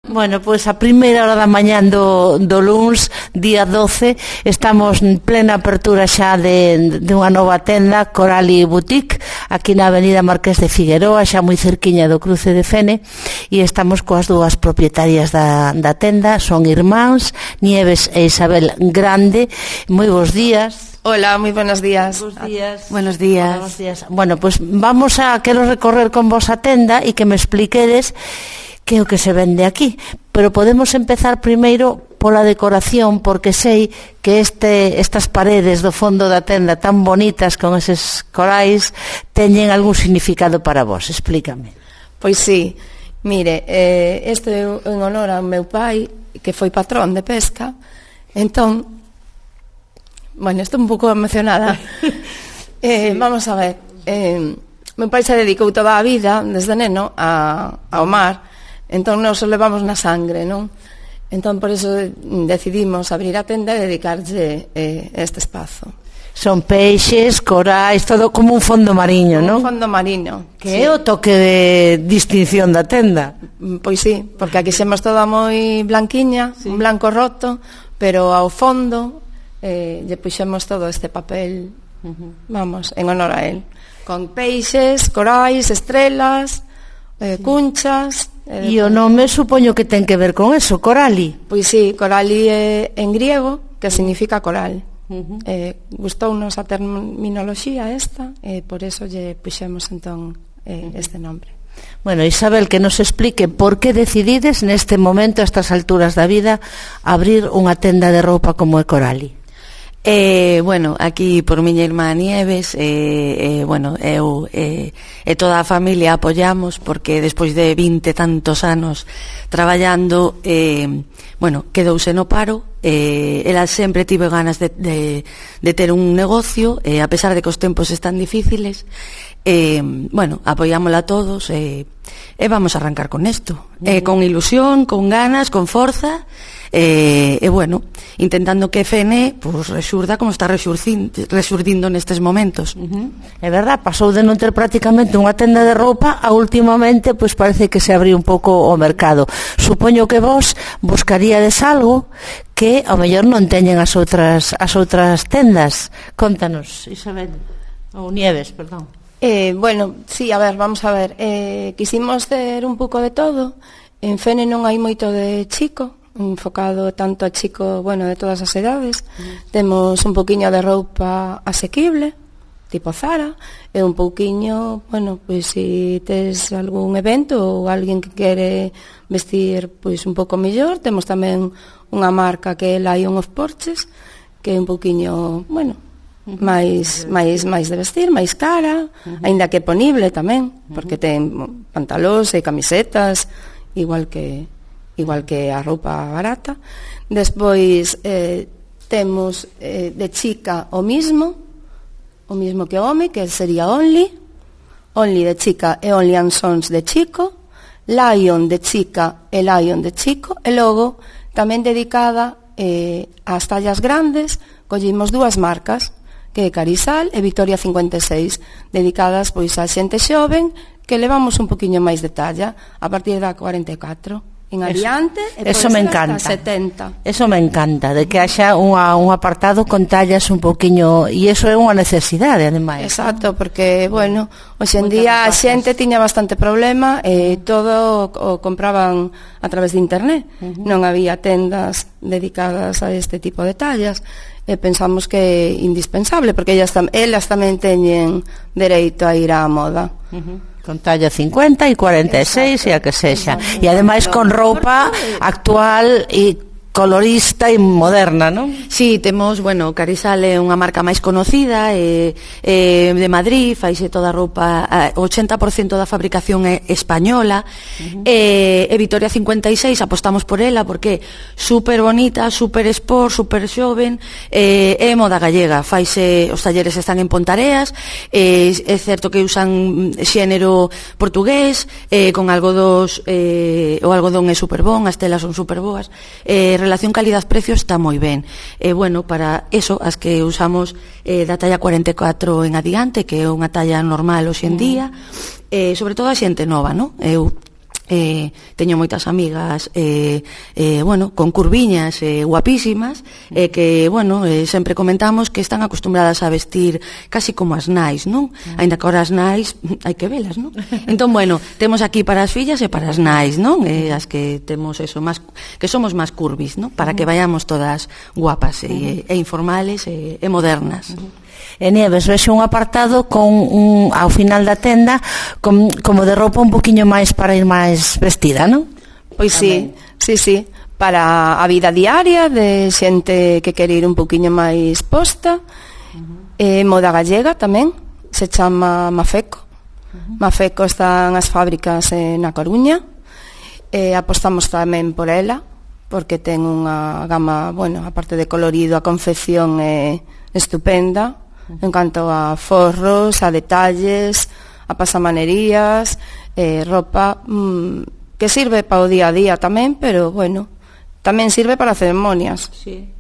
Bueno, pois a primeira hora da mañán do luns, día 12, estamos en plena apertura xa de unha nova tenda, Corali Boutique, aquí na avenida Marqués de Figueroa, xa moi cerquiña do cruce de Fene, e estamos coas dúas propietarias da tenda, son irmáns, Nieves e Isabel Grande. Moi bons días. Hola, moi buenos días. Buenos días. Bueno, pois quero recorrer con vos a tenda e que me expliquedes que é o que se vende aquí, pero podemos empezar primeiro pola decoración, porque sei que estas paredes do fondo da tenda tan bonitas con eses corais teñen algún significado para vos. Explícame. Pois sí, mire, este é en honor ao meu pai, que foi patrón de pesca. Entón, bueno, estou un pouco emocionada. Vamos a ver, meu pai se dedicou toda a vida, desde neno, ao mar. Entón nos levamos na sangre, non? Entón por iso decidimos abrir a tenda e dedicarlle este espazo. Son peixes, corais, todo como un fondo mariño, non? Un fondo mariño. Que é o toque de distinción da tenda. Pois sí, porque aquí xemos toda moi blanquiña, un blanco roto, pero ao fondo lle puxemos todo este papel, vamos, en honor a él. Con peixes, corais, estrelas, cunchas. E o nome supoño que ten que ver con eso, Corali. Pois sí, Corali é en griego, que significa coral. Gustounos a terminoloxía esta, e por eso lle puxemos entón este nombre. Bueno, Isabel, que nos explique por que decidides neste momento, a estas alturas da vida, abrir unha tenda de roupa como é Corali. Bueno, aquí por miña irmá Nieves, bueno, eu e toda a familia apoiamos, porque despois de 20 tantos anos traballando, bueno, quedouse no paro. Ela sempre tive ganas de ter un negocio, a pesar de que os tempos están difíciles. Bueno, apoiámola todos, e vamos a arrancar con isto, con ilusión, con ganas, con forza. Bueno, intentando que Fene pues resurda como está resurdindo nestes momentos. É verdad, pasou de non ter prácticamente unha tenda de roupa a últimamente pois parece que se abriu un pouco o mercado. Supoño que vos buscaríades algo que ao mellor non teñen as outras tendas. Contanos, Isabel, ou Nieves, perdón. Bueno, sí, a ver, vamos a ver, quisimos ter un pouco de todo. En Fene non hai moito de chico, enfocado tanto a chico, bueno, de todas as edades. Temos un pouquiño de roupa asequible, tipo Zara, e un pouquiño, bueno, pois se tes algún evento ou alguén que quere vestir pois un pouco mellor, temos tamén unha marca que é Lion of Porches, que é un pouquiño, bueno, máis de vestir, máis cara, aínda que ponible tamén, porque ten pantalóns e camisetas, igual que a roupa barata. Despois temos de chica o mismo que o home, que sería Only de chica e Only and Sons de chico, Lion de chica e Lion de chico, e logo tamén dedicada ás tallas grandes, collimos dúas marcas, que é Carisal e Victoria 56, dedicadas pois a xente xoven que levamos un poquinho máis de talla a partir da 44 en adiante, eso me encanta. 70. Eso me encanta, de que haxa un apartado con tallas un poquinho, e eso é unha necesidade, ademais. Exacto, porque, bueno, hoxe en día a xente tiña bastante problema e todo o compraban a través de internet. Non había tendas dedicadas a este tipo de tallas. E pensamos que é indispensable, porque elas tamén teñen dereito a ir á moda. Con talla 50 e 46 e a que sexa. E ademais con roupa actual e colorista e moderna, non? Sí, temos, bueno, Carisal é unha marca máis conocida, de Madrid, faise toda a roupa, o 80% da fabricación é española, e Victoria 56 apostamos por ela porque é super bonita, super sport, super xoven, é moda gallega, faise, os talleres están en Pontareas, é certo que usan xénero portugués, con algodós, o algodón é super bon, as telas son super boas, relación calidad-precio está moi ben. Bueno, para eso, as que usamos da talla 44 en adiante, que é unha talla normal hoxe en día, sobre todo a xente nova, non? Eu teño moitas amigas bueno, con curviñas guapísimas que, bueno, sempre comentamos que están acostumbradas a vestir casi como as nais, non? Ainda que ahora as nais hai que velas, non? Entón, bueno, temos aquí para as fillas e para as nais, non? As que temos eso, máis, que somos máis curvis, non? Para que vayamos todas guapas e informales e modernas. E Nieves, vexo un apartado con ao final da tenda como de roupa un poquinho máis para ir máis vestida, non? Pois sí, para a vida diaria de xente que quere ir un poquinho máis posta. Moda gallega tamén, se chama Mafeco. Mafeco están as fábricas na Coruña, apostamos tamén por ela porque ten unha gama, bueno, aparte de colorido, a confección é estupenda en canto a forros, a detalles, a pasamanerías, roupa que sirve para o día a día tamén, pero bueno, tamén sirve para ceremonias. Sí.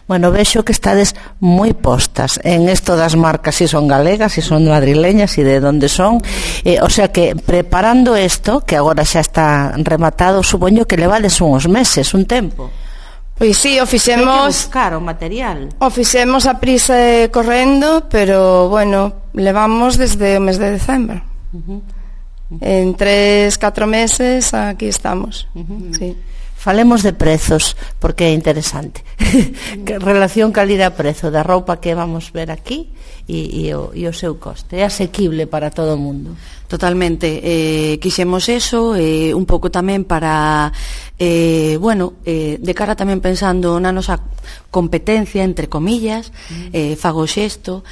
Bueno, vexo que estades moi postas en esto das marcas, si son galegas, si son madrileñas, si de onde son, o sea que preparando isto, que agora xa está rematado, supoño que levades uns meses, un tempo. Pois sí, o fixemos... Hai que buscar o material. O fixemos a prisa e correndo, pero, bueno, levamos desde o mes de decembro. En 3-4 meses aquí estamos. Sí. Falemos de prezos, porque é interesante. Relación calidad-prezo da roupa que vamos ver aquí e o seu coste. É asequible para todo o mundo. Totalmente. Quixemos eso, un pouco tamén para, bueno, de cara tamén pensando na nosa competencia, entre comillas, fago xesto,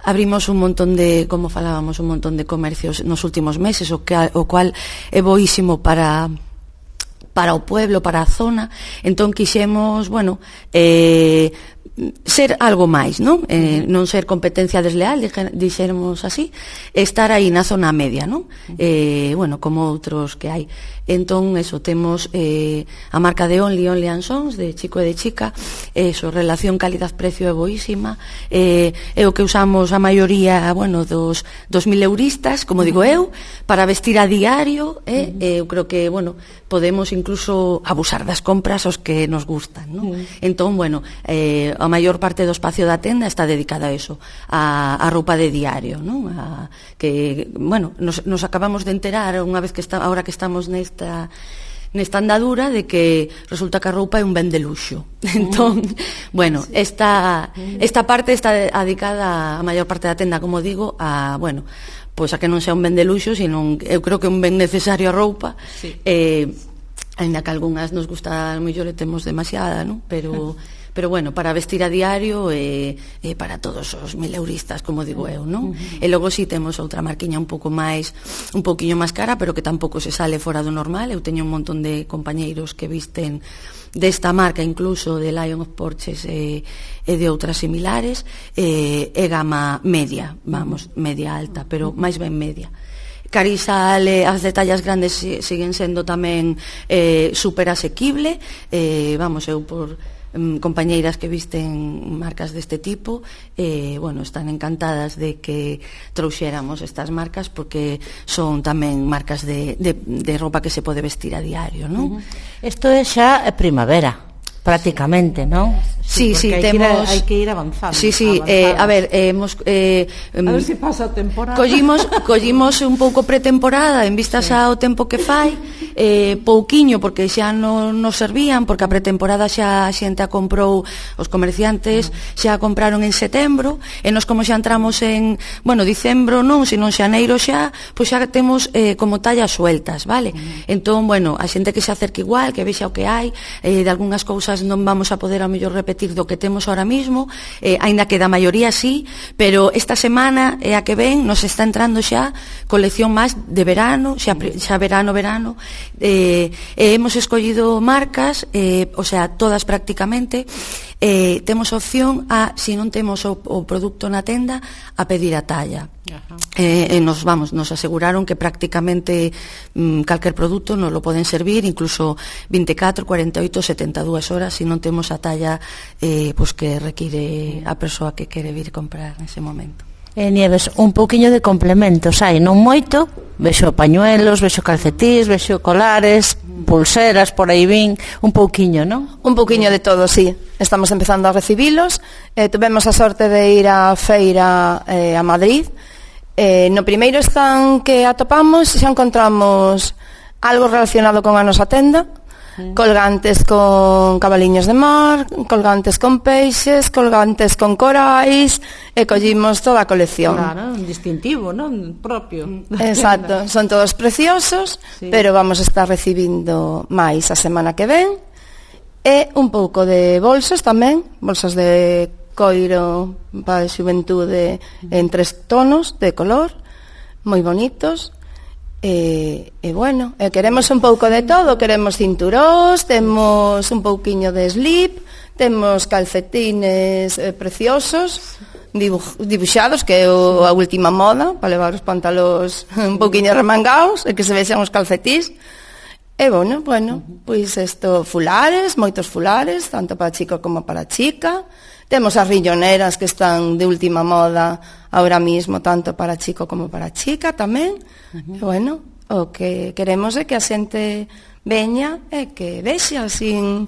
abrimos un montón de, como falábamos, un montón de comercios nos últimos meses, o cual é boísimo para o pueblo, para a zona. Entón quixemos, bueno, ser algo máis, non? Non ser competencia desleal, dixéramos así, estar aí na zona media, non? Bueno, como outros que hai. Entón, eso, temos a marca de Only and Sons, de Chico e de Chica, eso, relación calidad-precio é boísima, é o que usamos a maioría, bueno, dos 1000 euristas, como digo eu, para vestir a diario, eu creo que, bueno, podemos incluso abusar das compras aos que nos gustan, non? Entón, bueno, a maior parte do espacio da tenda está dedicada a eso, a roupa de diario, non? Que, bueno, nos acabamos de enterar unha vez que ahora que estamos nesta andadura de que resulta que a roupa é un ben de luxo. Entón, bueno, esta parte está dedicada a maior parte da tenda, como digo, a, bueno, pois a que non sea un ben de luxo, sino eu creo que é un ben necesario a roupa. Ainda que algunhas nos gusta, mellor e temos demasiada, non? Pero bueno, para vestir a diario para todos os 1000 euristas, como digo eu, non? E logo si temos outra marquiña un poquinho máis cara, pero que tampouco se sale fora do normal. Eu teño un montón de compañeiros que visten desta marca, incluso de Lion of Porches e de outras similares, e gama media, vamos, media alta, pero máis ben media. Carisal, as detallas grandes siguen sendo tamén super asequible, vamos, eu por compañeiras que visten marcas deste tipo, bueno, están encantadas de que trouxéramos estas marcas porque son tamén marcas de roupa que se pode vestir a diario, non? Isto é xa primavera, prácticamente, non? Sí, temos... Hai que ir avanzando. Sí, a ver, a ver se pasa a temporada. Collimos un pouco pretemporada en vistas ao tempo que fai, pouquiño, porque xa non nos servían, porque a pretemporada xa a xente a comprou, os comerciantes xa a compraron en setembro, e nos como xa entramos en, bueno, dicembro non, sino xaneiro xa, pois xa temos como tallas sueltas, vale? Entón, bueno, a xente que se acerque igual, que vexa o que hai, de algunhas cousas non vamos a poder ao mellor repetir do que temos ahora mismo, aínda que da maioría sí, pero esta semana e a que ven nos está entrando xa colección máis de verano, xa verano, hemos escollido marcas, o sea, todas prácticamente, temos opción a, se non temos o produto na tenda, a pedir a talla. Nos aseguraron que prácticamente calquer produto nos lo poden servir, incluso 24, 48, 72 horas, se non temos a talla pois que require a persoa que quere vir comprar nese momento. Nieves, un pouquiño de complementos hai, non moito, vexo pañuelos, vexo calcetís, vexo colares, pulseras, por aí vin, un pouquiño, non? Un pouquiño de todo, sí. Estamos empezando a recibilos. Tuvemos a sorte de ir á feira a Madrid. No primeiro stand que atopamos xa encontramos algo relacionado con a nosa tenda, colgantes con cabaliños de mar, colgantes con peixes, colgantes con corais, e collimos toda a colección. Claro, un distintivo, non? Propio. Exacto, son todos preciosos, sí. Pero vamos a estar recibindo máis a semana que ven, e un pouco de bolsos tamén, bolsos de coiro para a xuventude en 3 tonos de color, moi bonitos. E bueno, queremos un pouco de todo, queremos cinturóns, temos un pouquiño de slip, temos calcetines preciosos, dibuixados, que é a última moda, para levar os pantalóns un pouquiño remangados e que se vexan os calcetís. E bueno, pois isto, fulares, moitos fulares, tanto para chico como para chica. Temos as rilloneras que están de última moda ahora mismo, tanto para chico como para chica tamén. E bueno, o que queremos é que a xente veña e que vexa, sin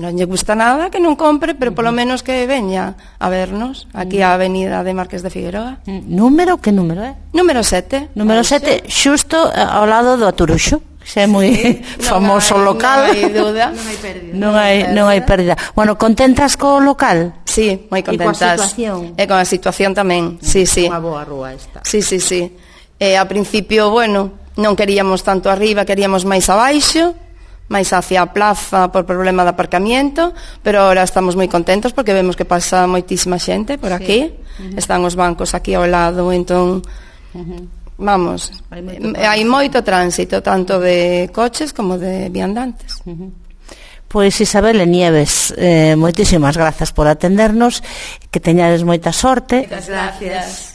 non lle gusta nada, que non compre, pero polo menos que veña a vernos aquí á avenida de Marqués de Figueroa. Número, que número é? Número 7. Número 7, xusto ao lado do Aturuxo. Xa é moi famoso local. Non hai dúda. Non hai pérdida. Bueno, contentas co local? Sí, moi contentas. E con a situación tamén. Sí. Unha boa rúa esta. Sí. A principio, non queríamos tanto arriba, queríamos máis abaixo, máis hacia a plaza por problema de aparcamiento, pero ahora estamos moi contentos porque vemos que pasa moitísima xente por aquí. Están os bancos aquí ao lado, entón vamos, hai moito tránsito, tanto de coches como de viandantes. Pois Isabel e Nieves, moitísimas grazas por atendernos, que teñades moita sorte. Moitas gracias.